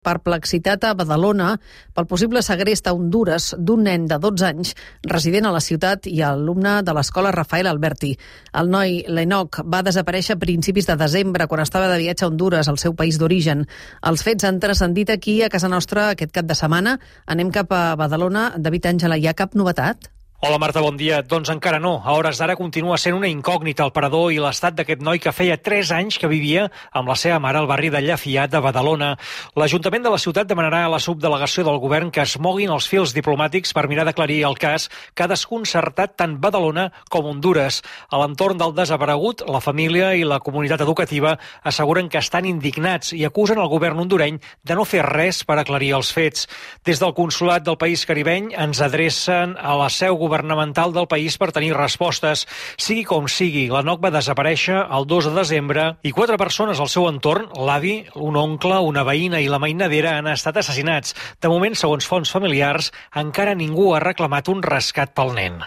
Perplexitat a Badalona pel possible segrest a Hondures d'un nen de 12 anys resident a la ciutat i alumne de l'escola Rafael Alberti. El noi, l'Enoch, va desaparèixer a principis de desembre quan estava de viatge a Hondures, el seu país d'origen. Els fets han transcendit aquí a casa nostra aquest cap de setmana. Anem cap a Badalona. David Àngela, hi ha cap novetat? Hola Marta, bon dia. Doncs encara no. A hores d'ara continua sent una incògnita el parador i l'estat d'aquest noi que feia 3 anys que vivia amb la seva mare al barri de Llafiat de Badalona. L'Ajuntament de la ciutat demanarà a la subdelegació del govern que es moguin els fils diplomàtics per mirar d'aclarir el cas que ha desconcertat tant Badalona com Hondures. A l'entorn del desaparegut, la família i la comunitat educativa asseguren que estan indignats i acusen el govern hondureny de no fer res per aclarir els fets. Des del consolat del país caribeny ens adrecen a la seu governamental del país per tenir respostes. Sigui com sigui, l'Enoch va desaparèixer el 2 de desembre i 4 persones al seu entorn, l'avi, un oncle, una veïna i la mainadera, han estat assassinats. De moment, segons fonts familiars, encara ningú ha reclamat un rescat pel nen.